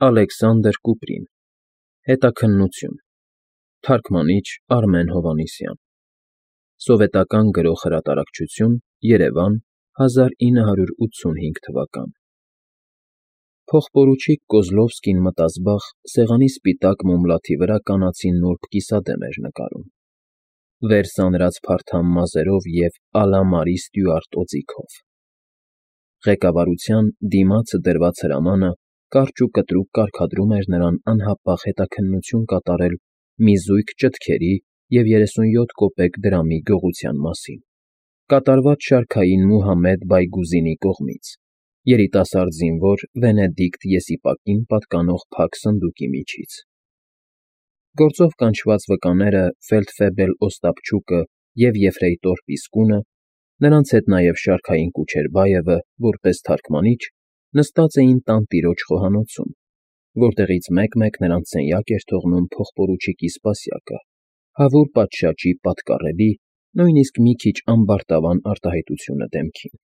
Ալեքսանդր Կուպրին, Հետաքննություն, թարգմանիչ Արմեն Հովհաննիսյան, Սովետական Գրող Հրատարակչություն, Երևան, 1985 թվական։ Փողպորուչիկ Կոզլովսկին մտազբաղ սեղանի սպիտակ մոմլաթի վրա կանացի նուրբ կիսադեմ էր նկարում, վեր սանրած փարթամ մազերով և «Ալամարի» Ստյուարտ օձիքով։ Ղեկավարության դիմացը դրված հրամանը կարճ ու կտրուկ կարգադրում էր նրան անհապաղ հետաքննություն կատարել մի զույգ ճտքերի և 37 կոպեկ դրամի գողության մասին, կատարված շարքային Մուհամեդ Բայգուզինի կողմից, երիտասարդ զինվոր Վենեդիկտ Եսիպակին պատկանող փակ սնդուկի միջից։ Գործով կանչված վկաները ֆելդֆեբել Օստապչուկը և եֆրեյտոր Պիսկունը, նրանց հետ նաև շարքային Կուչերբաևը, որպես թարգմանիչ, նստած էին տանտիրոջ խոհանոցում, որտեղից մեկ-մեկ նրանց սենյակ էր թողնում փողպորուչիկի սպասյակը, հավուր պատշաճի պատկառելի, նույնիսկ մի քիչ ամբարտավան արտահայտությունը դեմքին։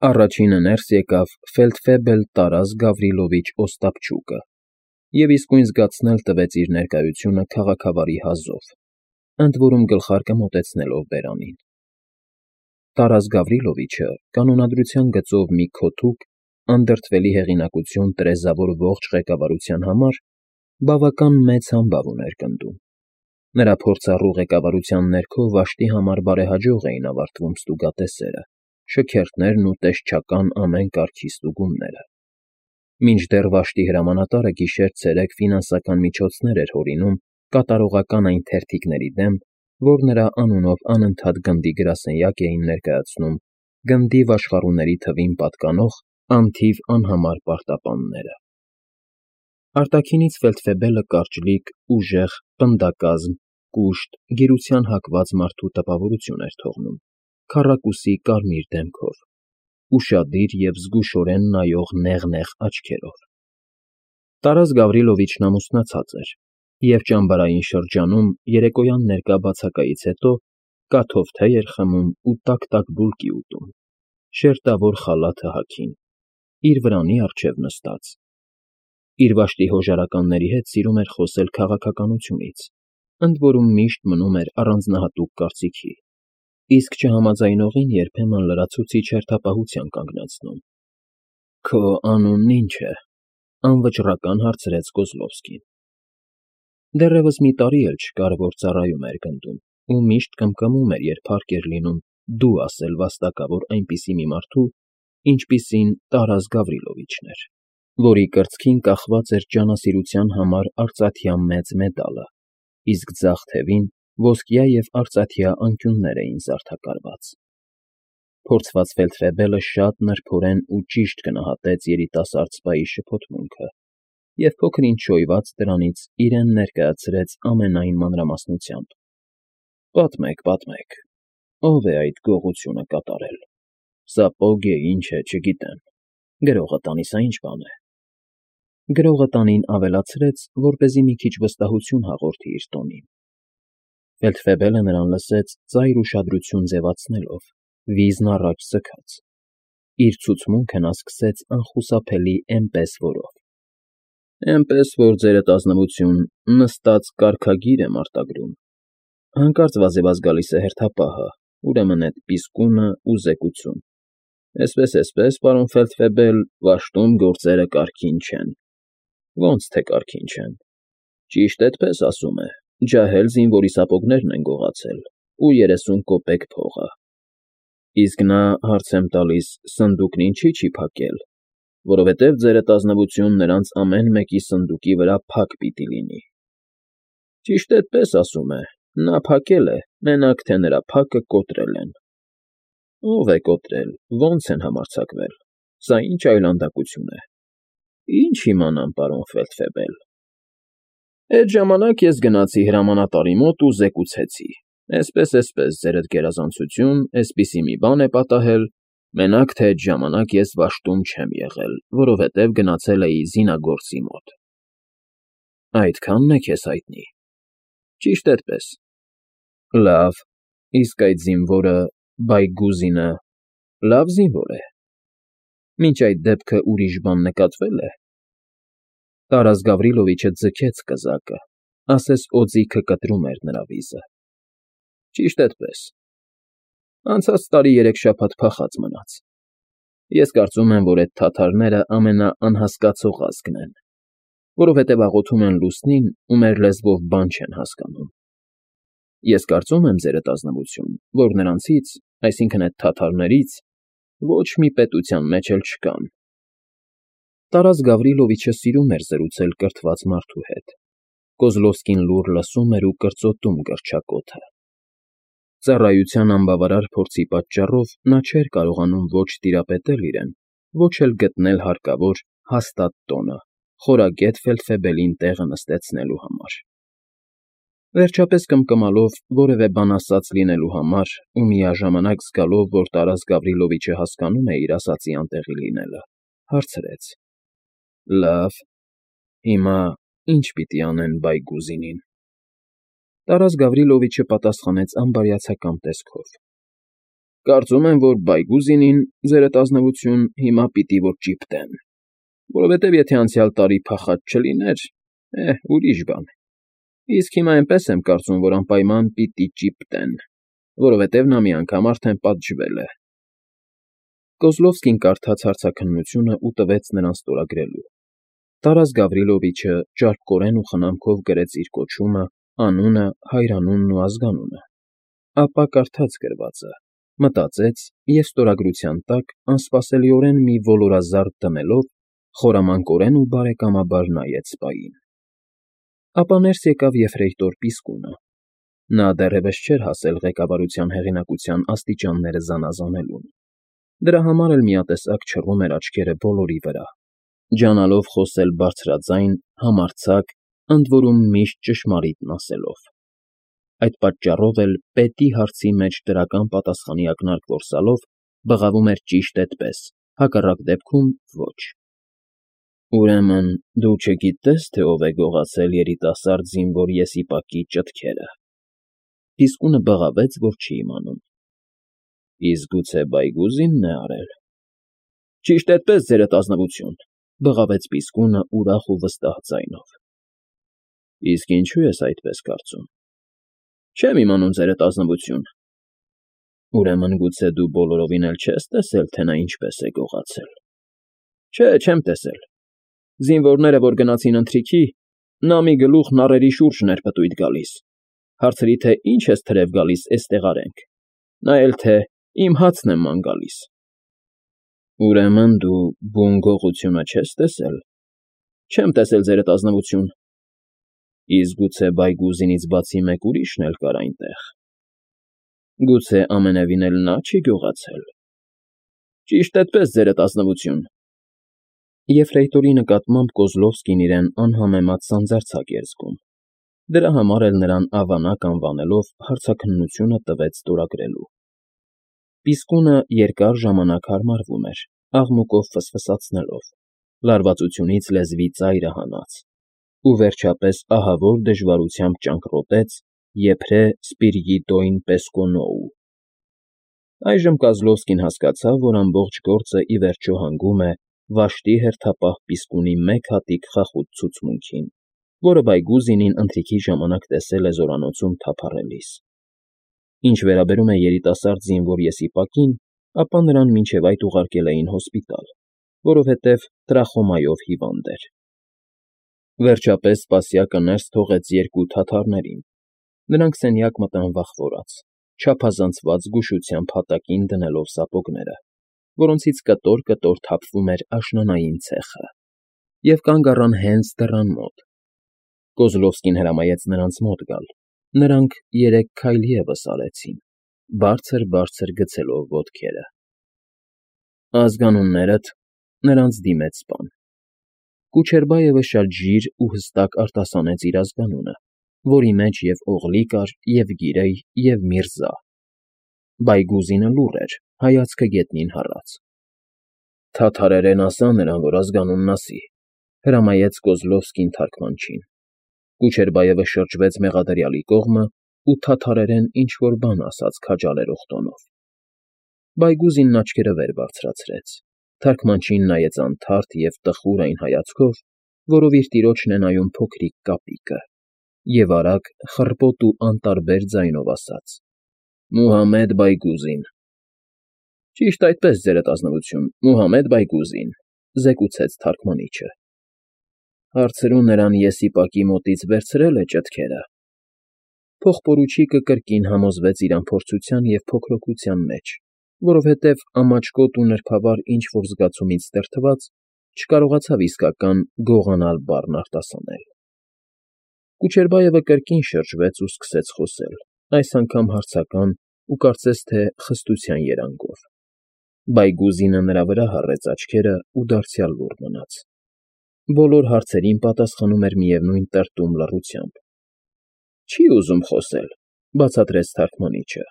Առաջինը ներս եկավ ֆելդֆեբել Տարաս Գավրիլովիչ Օստապչուկը և իսկույն զգացնել տվեց իր ներկայությունը քաղաքավարի հազով, ընդ որում գլխարկը մոտեցնելով բերանին։ Տարաս Գավրիլովիչը կանոնադրության գծով մի քոթուկ, անդրդվելի հեղինակություն տրեզավոր ողջ ղեկավարության համար բավական մեծ համբավ ուներ գնդում։ Նրա փորձառու ղեկավարության ներքո վաշտի համար բարեհաջող էին ավարտվում ստուգատեսերը, շքերթներն ու տեսչական ամեն կարգի ստուգումները։ Մինչդեռ վաշտի հրամանատարը գիշեր֊ցերեկ ֆինանսական միջոցներ էր հորինում կատարողական այն թերթիկների դեմ, որ նրա անունով անընդհատ գնդի գրասենյակ էին ներկայացնում գնդի վաշխառուների թվին պատկանող անթիվ անհամար պարտապանները։ Արտաքինից ֆելդֆեբելը կարճլիկ, ուժեղ, պնդակազմ, կուշտ, գիրության հակված մարդու տպավորություն էր թողնում, քառակուսի կարմիր դեմքով, ուշադիր և զգուշորեն նայող նեղ աչքերով։ Տարաս Գավրիլովիչն ամուսնացած էր և ճամբարային շրջանում երեկոյան ներկա բացակայից հետո կաթով թեյ էր խմում ու տաք բուլկի ուտում, շերտավոր խալաթը հագին, իր վրանի առջև նստած։ Իր վաշտի հոժարականների հետ սիրում էր խոսել քաղաքականությունից, ընդ որում միշտ մնում էր առանձնահատուկ կարծիքի, իսկ չհամաձայնողին երբեմն լրացուցիչ հերթապահության կանգնացնում։ «Քո անունն ի՞նչ է,֊ անվճռական հարցրեց Կոզլովսկին։ Դեռևս մի տարի էլ չկար, որ ծառայում էր գնդում ու միշտ կմկմում էր, երբ հարկ էր լինում «դու» ասել վաստակավոր այնպիսի մի մարդու, ինչպիսին Տարաս Գավրիլովիչն էր, որի կրծքին կախված էր ջանասիրության համար արծաթյա մեծ մեդալը, իսկ ձախ թևին ոսկյա և արծաթյա անկյուններ էին զարդաքարված։ Փորձված ֆելդֆեբելը շատ նրբորեն ու ճիշտ գնահատեց երիտասարդ սպայի շփոթմունքը և փոքր֊ինչ շոյված դրանից իրեն ներկայացրեց ամենայն մանրամասնությամբ։ Պատմեք, ո՞վ է այդ գողությունը կատարել։ Սապոգ է, ինչ է, չգիտեմ, գրողը տանի, սա ի՞նչ բան է։ Գրողը տանին ավելացրեց, որպեսզի մի քիչ վստահություն հաղորդի իր տոնին։ Ֆելդֆեբելը նրան լսեց ծայր ուշադրություն ձևացնելով, վիզն առաջ ձգած։ Իր ցուցմունքը նա սկսեց անխուսափելի էնպես որով. Էնպես որ, ձերդ ազնվություն, նստած կարգագիր եմ արտագրում։ Հանկարծ վազեվազ գալիս է հերթապահը, ուրեմն էդ Պիսկունը ու զեկուցում։ Էսպես, պարոն Ֆելդֆեբել, վաշտում գործերը կարգին չեն։ Ո՞նց թե կարգին չեն։ Ճիշտ էդպես ասում է, ջահել զինվորի սապոգներն են գողացել ու 30 կոպեկ փողը։ Իսկ նա, հարց եմ տալիս, սնդուկն ինչի՞ չի փակել, որովհետև ձերդ ազնվություն նրանց ամեն մեկի սնդուկի վրա փակ պիտի լինի։ Ճիշտ էդպես ասում է, նա փակել է, մենակ թե նրա փակը կոտրել են։ Ո՞վ է կոտրել, ո՞նց են համարձակվել, սա ի՞նչ այլանդակություն է։ Ինչ իմանամ, պարոն Ֆելդֆեբել։ Էդ ժամանակ ես գնացի հրամանատարի մոտ ու զեկուցեցի. էսպես, ձերդ գերազանցություն, էսպիսի մի բան է պատահել, մենակ թե էդ ժամանակ ես վաշտում չեմ եղել, որովհետև գնացել էի զինագործի մոտ։ Այդքա՞նն է քեզ հայտնի։ Ճիշտ էդպես։ Լավ, իսկ այդ զինվորը Բայգուզինը լավ զինվոր է։ Մինչ այդ դեպքը ուրիշ բան նկատվե՞լ է։ Տարաս Գավրիլովիչը ձգեց կզակը, ասես օձիքը կտրում էր նրա վիզը։ Ճիշտ էդպես։ Անցած տարի 3 շաբաթ փախած մնաց։ Ես կարծում եմ, որ այդ թաթարները ամենաանհասկացող ազգն են, որովհետև աղոթում են լուսնին ու մեր լեզվով բան չեն հասկանում։ Ես կարծում եմ, ձերդ ազնվություն, որ նրանցից, այսինքն այդ թաթարներից, ոչ մի պետության մեջ էլ չկան։ Տարաս Գավրիլովիչը սիրում էր զրուցել կրթված մարդու հետ։ Կոզլովսկին լուռ լսում էր ու կրծոտում գրչակոթը։ Ծառայության անբավարար փորձի պատճառով նա չէր կարողանում ոչ տիրապետել իրեն, ոչ էլ գտնել հարկավոր հաստատ տոնը, խորագետ ֆելդֆեբելին տեղը նստեցնելու համար։ Վերջապես կմկմալով որևէ բան ասած լինելու համար ու միաժամանակ զգալով, որ Տարաս Գավրիլովիչը հասկանում է իր ասածի անտեղի լինելը, հարցրեց. Լավ, հիմա ինչ պիտի անեն Բայգուզինին։ Տարաս Գավրիլովիչը պատասխանեց անբարյացակամ տեսքով. Կարծում եմ, որ Բայգուզինին, ձերդ ազնվություն, հիմա պիտի որ ճիպտեն, որովհետև եթե անցյալ տարի փախած չլիներ, ուրիշ բան։ Իսկ հիմա այնպես եմ կարծում, որ անպայման պիտի ճիպտեն, որովհետև նա մի անգամ արդեն պատժվել է։ Կոզլովսկին կարդաց հարցաքննությունը ու տվեց նրան ստորագրելու։ Տարաս Գավրիլովիչը ճարպկորեն ու խնամքով գրեց իր կոչումը, անունը, հայրանունն ու ազգանունը։ Ապա կարդաց գրվածը, մտածեց և ստորագրության տակ անսպասելիորեն մի ոլորազարդ դնելով խորամանկորեն ու բարեկամաբար նայեց սպային։ Ապա ներս եկավ եֆրեյտոր Պիսկունը։ Նա դեռևս չէր հասել ղեկավարության հեղինակության աստիճանները զանազանելուն։ Դրա համար էլ միատեսակ չռում էր աչքերը բոլորի վրա, ջանալով խոսել բարձրաձայն, համարձակ, ընդ որում միշտ ճշմարիտն ասելով։ Այդ պատճառով էլ պետի հարցի մեջ դրական պատասխանի ակնարկ որսալով բղավում էր ճիշտ այդպես, հակառակ դեպքում ոչ։ Ուրեմն դու չգիտես, թե ով է գողացել երիտասարդ զինվոր Եսիպակի ճտքերը։ Պիսկունը բղավեց, որ չի իմանում։ Իսկ գուցե Բայգուզինն է արել։ Ճիշտ այդպես, ձերդ ազնվություն, բղավեց Պիսկունը ուրախ ու վստահ ձայնով։ Իսկ ինչու ես այդպես կարծում։ Չեմ իմանում, ձերդ ազնվություն։ Ուրեմն գուցե դու բոլորովին էլ չես տեսել, թե նա ինչպես է գողացել։ Չէ, չեմ տեսել։ Զինվորները, որ գնացին ընթրիքի, նա մի գլուխ նառերի շուրջն էր պտույտ գալիս։ Հարցրի, թե ինչ ես թրև գալիս, էստեղ արենք։ Նա էլ թե իմ հացն եմ ման գալիս։ Ուրեմն դու բուն գողությունը չես տեսել։ Չեմ տեսել, ձերդ ազնվություն։ Իսկ գուցե Բայգուզինից բացի մեկ ուրիշն էլ կար այնտեղ։ Գուցե ամենևին էլ նա չի գողացել։ Ճիշտ այդպես, ձերդ ազնվություն։ Եֆրեյտորի նկատմամբ Կոզլովսկին իրեն անհամեմատ սանձարձակ էր զգում։ Դրա համար էլ նրան ավանակ անվանելով հարցաքննությունը տվեց ստորագրելու։ Պիսկունը երկար ժամանակ հարմարվում էր, աղմուկով ֆսֆսացնելով, լարվածությունից լեզվի ծայրը հանած, ու վերջապես ահավոր դժվարությամբ ճանկռոտեց եփրե Սպիրիդոին Պեսկոնոու։ Այժմ Կոզլովսկին հասկացավ, որ ամբողջ գործը ի վերջո հանգում է վաշտի հերթապահ Պիսկունի մեկ հատիկ խախուտ ցուցմունքին, որը Բայգուզինին ընթրիքի ժամանակ տեսել է զորանոցում թափառելիս։ Ինչ վերաբերում է երիտասարդ զինվոր Եսիպակին, ապա նրան մինչև այդ ուղարկել էին հոսպիտալ, որովհետև տրախոմայով հիվանդ էր։ Վերջապես սպասյակը ներս թողեց 2 թաթարներին։ Նրանք սենյակ մտան վախվորած, չափազանցված զգուշությամբ հատակին դնելով սապոգները, որոնցից կտոր-կտոր թափվում էր աշնանային ցեխը, և կանգ առան հենց դռան մոտ։ Կոզլովսկին հրամայեց նրանց մոտ գալ։ Նրանք 3 քայլ ևս արեցին, բարձր֊բարձր գցելով ոտքերը։ Ազգանուններդ, նրանց դիմեց սպան։ Կուչերբաևը շատ ժիր ու հստակ արտասանեց իր ազգանունը, որի մեջ և Օղլի կար, և Գիրեյ, և Միրզա։ Բայգուզինը լուռ էր, հայացքը գետնին հառած։ Թաթարերեն ասա նրան, որ ազգանունն ասի, հրամայեց Կոզլովսկին թարգմանչին։ Կուչերբաևը շրջվեց մեղադրյալի կողմը ու թաթարերեն ինչ֊որ բան ասաց քաջալերող տոնով։ Բայգուզինն աչքերը վեր բարձրացրեց, թարգմանչին նայեց անթարթ և տխուր այն հայացքով, որով իր տիրոջն է նայում փոքրիկ կապիկը, և արագ, խռպոտ ու անտարբեր ձայնով ասաց. «Մուհամեդ Բայգուզին»։ ֊ Ճիշտ այդպես, ձերատասնություն, Մուհամեդ Բայգուզին, ֊ զեկուցեց թարգմանիչը։ ֊ Հարցրու նրան եսիպակի մոտից վերցրե՞լ է ճտքերը։ Փողպորուչիկը կրկին համոզվեց իր անփորձության և փոքրոգության մեջ, որովհետև ամաչկոտ ու նրբավար ինչ֊որ զգացումից տրթված, չկարողացավ իսկական գողանալ բառն արտասանել։ Կուչերբայևը կրկին շրջվեց ու սկսեց խոսել, այս անգամ հարցական ու կարծես թե խստության երանգով։ Բայգուզինը նրա վրա հառեց աչքերը ու դարձյալ լուռ մնաց։ Բոլոր հարցերին պատասխանում էր միևնույն տրտում լռությամբ։ ֊ Չի ուզում խոսել, ֊ բացատրեց թարգմանիչը։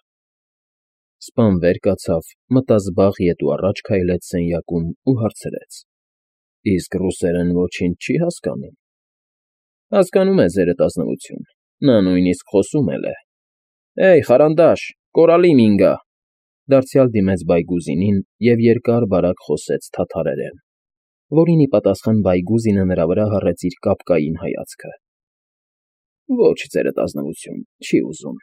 Սպան վեր կացավ, մտազբաղ ետ ու առաջ քայլեց սենյակում ու հարցրեց. ֊ Իսկ ռուսերեն ոչինչ չի հասկանում։ ֊ Հասկանում է, ձերատասնություն, նա նույնիսկ խոսում էլ է։ ֊ Էյ, խարանդաշ, կորալի մինգա, ֊ դարձյալ դիմեց Բայգուզինին և երկար֊բարակ խոսեց թաթարերեն, որին ի պատասխան Բայգուզինը նրա վրա հառեց իր կապկային հայացքը։ ֊ Ոչ, ձերատասնություն, չի ուզում։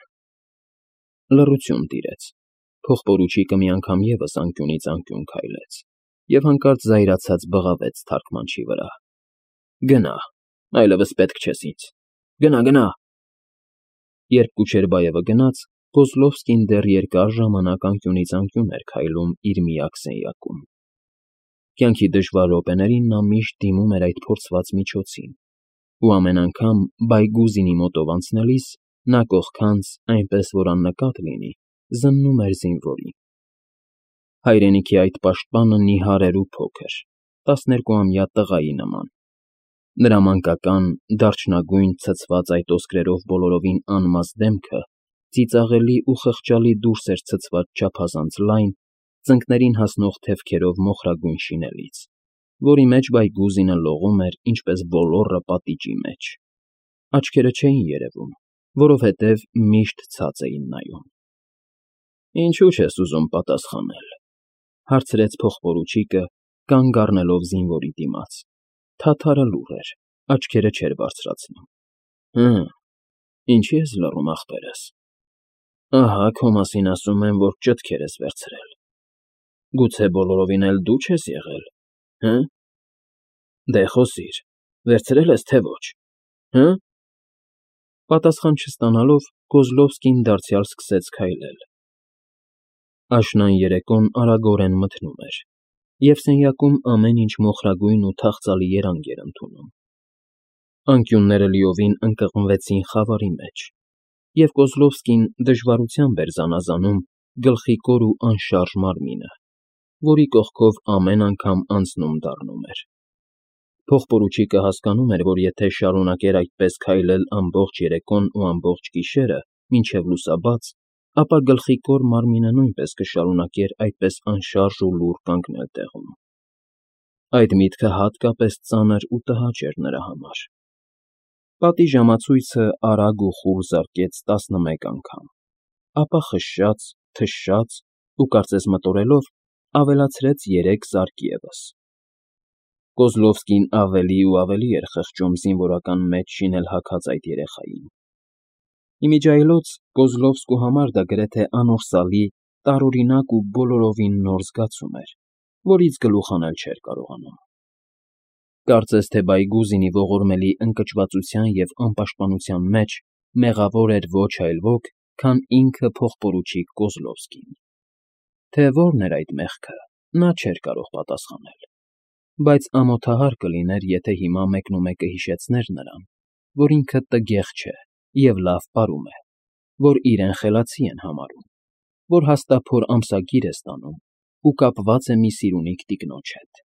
Լռություն տիրեց։ Փողպորուչիկը մի անգամ ևս անկյունից անկյուն քայլեց և հանկարծ զայրացած բղավեց թարգմանչի վրա. ֊ Գնա, այլևս պետք չես ինձ, գնա, գնա։ Երբ Կուչերբայևը գնաց, Կոզլովսկին դեռ երկար ժամանակ անկյունից անկյուն էր քայլում իր միակ սենյակում։ Կյանքի դժվար րոպեներին նա միշտ դիմում էր այդ փորձված միջոցին, ու ամեն անգամ Բայգուզինի մոտով անցնելիս նա կողքանց, այնպես որ աննկատ լինի, զննում էր զինվորին։ Հայրենիքի այդ պաշտպանը նիհար էր ու փոքր, 12-ամյա տղայի նման։ Նրա մանկական, դարչնագույն ցցված այդ ոսկրերով բոլորովին անմազ դեմքը ծիծաղելի ու խղճալի դուրս էր ցցված չափազանց լայն, ծնկներին հասնող թևքերով մոխրագույն շինելից, որի մեջ Բայգուզինը լողում էր ինչպես ոլոռը պատիճի մեջ։ Աչքերը չէին երևում, որովհետև միշտ ցած էին նայում։ ֊ Ինչու՞ չես ուզում պատասխանել, ֊ հարցրեց փողպորուչիկը, կանգ առնելով զինվորի դիմաց։ Թաթարը լուռ էր, աչքերը չէր բարձրացնում։ ֊ Հը, ինչի՞ ես լռում, ախպերս։ Ահա քո մասին ասում են, որ ճտկեր ես վերցրել։ Գուցե բոլորովին էլ դու չես եղել, հը՞։ Դե խոսիր, վերցրել ես, թե ոչ, հը՞։ Պատասխան չստանալով, Կոզլովսկին դարձյալ սկսեց քայլել։ Աշնան երեկոն արագորեն մթնում էր, և սենյակում ամեն ինչ մոխրագույն ու թախծալի երանգ էր ընդունում։ Անկյունները լիովին ընկղմվեցին խավարի մեջ, և Կոզլովսկին դժվարությամբ էր զանազանում գլխիկոր ու անշարժ մարմինը, որի կողքով ամեն անգամ անցնում֊դառնում էր։ Փողպորուչիկը հասկանում էր, որ եթե շարունակեր այդպես քայլել ամբողջ երեկոն ու ամբողջ գիշերը մինչև լուսաբաց, ապա գլխիկոր մարմինը նույնպես կշարունակեր այդպես անշարժ ու լուռ կանգնել տեղում։ Այդ միտքը հատկապես ծանր ու տհաճ էր նրա համար։ Պատի ժամացույցը արագ ու խուլ զարկեց 11 անգամ, ապա խշշաց, թշշաց ու, կարծես մտորելով, ավելացրեց 3 զարկ ևս։ Կոզլովսկին ավելի ու ավելի էր խղճում զինվորական մեծ շինել հագած այդ երեխային։ Իմիջիայլոց Կոզլովսկու համար դա գրեթե անորսալի, տարօրինակ ու բոլորովին նոր զգացում էր, որից գլուխ հանել չէր կարողանում։ Կարծես թե Բայգուզինի ողորմելի ընկճվածության և անպաշտպանության մեջ մեղավոր էր ոչ այլ ոք, քան ինքը փողպորուչիկ Կոզլովսկին։ Թե որն էր այդ մեղքը, նա չէր կարող պատասխանել, բայց ամոթահար կլիներ, եթե հիմա մեկնումեկը հիշեցներ նրան, որ ինքը տգեղ չէ և լավ պարում է, որ իրեն խելացի են համարում, որ հաստափոր ամսագիր է ստանում ու կապված է մի սիրունիկ տիկնոջ հետ։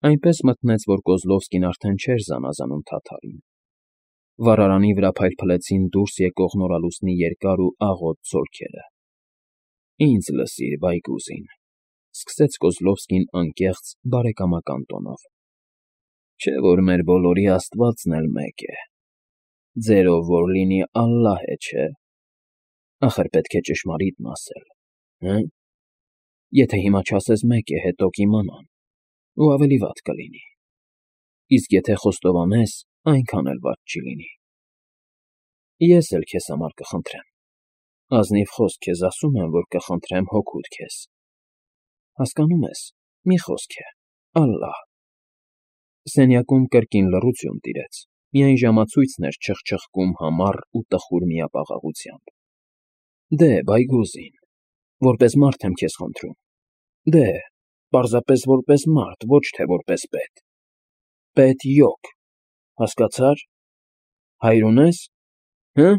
Այնպես մթնեց, որ Կոզլովսկին արդեն չէր զանազանում թաթարին։ Վառարանի վրա փայլփլեցին դուրս եկող նորալուսնի երկար ու աղոտ ցոլքերը։ ֊ Ինձ լսիր, Բայգուզին, ֊ սկսեց Կոզլովսկին անկեղծ, բարեկամական տոնով։ ֊ Չէ՞ որ մեր բոլորի Աստվածն էլ մեկ է։ Ձերով որ լինի ալլահ է, չէ՞։ Ախր պետք է ճշմարիտն ասել, հը՞։ Եթե հիմա չասես մեկ է, հետո կիմանան, ու ավելի վատ կլինի։ իսկ եթե խոստովանես, այնքան էլ վատ չի լինի։ Ես էլ քեզ համար կխնդրեմ, ազնիվ խոսք քեզ ասում եմ, որ կխնդրեմ հօգուտ քեզ, հասկանո՞ւմ ես, մի խոսք է, ալլահ… Սենյակում կրկին լռություն տիրեց, միայն ժամացույցն էր չխչխկում համառ ու տխուր միապաղաղությամբ։ Դե, Բայգոզին, որպես մարդ եմ քեզ խնդրում, դե, պարզապես որպես մարդ, ոչ թե որպես պետ, պետ յոկ, հասկացա՞ր, հայր ունե՞ս, հը՞,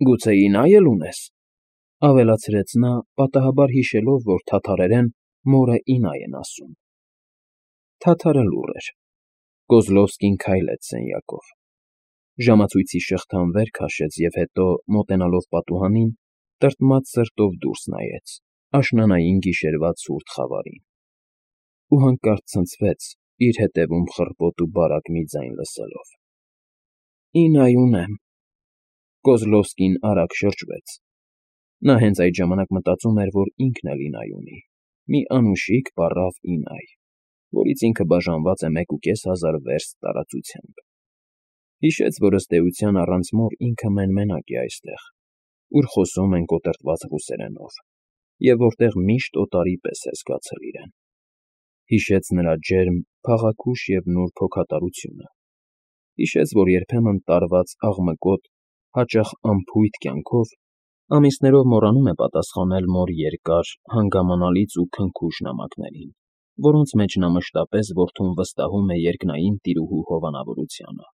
գուցե ինայ էլ ունե՞ս, ավելացրեց նա, պատահաբար հիշելով, որ թաթարերեն մորը ինայ են ասում։ Թաթարը լուռ էր։ Կոզլովսկին քայլեց սենյակով, ժամացույցի շղթան վեր քաշեց և հետո, մոտենալով պատուհանին, տրտմած սրտով դուրս նայեց աշնանային գիշերվա ցուրտ խավարին ու հանկարծ ցնցվեց, իր ետևում խռպոտ ու բարակ մի ձայն լսելով։ Ինայ ունեմ… Կոզլովսկին արագ շրջվեց։ Նա հենց այդ ժամանակ մտածում էր, որ ինքն էլ ինայ ունի, մի անուշիկ պառավ ինայ, որից ինքը բաժանված է 1,500 վերստ տարածությամբ։ Հիշեց, որ ըստ էության առանց մոր ինքը մեն֊մենակ է այստեղ, ուր խոսում են կոտրտված ռուսերենով, և որտեղ միշտ օտարի պես է զգացել իրեն։ Հիշեց նրա ջերմ, փաղաքուշ և նուրբ հոգատարությունը։ Հիշեց, որ երբեմն տարված աղմկոտ, հաճախ անփույթ կյանքով ամիսներով մոռանում է պատասխանել մոր երկար, հանգամանալից ու քնքուշ նամակներին, որոնց մեջ նա մշտապես որդուն վստահում է երկնային տիրուհու հովանավորությանը։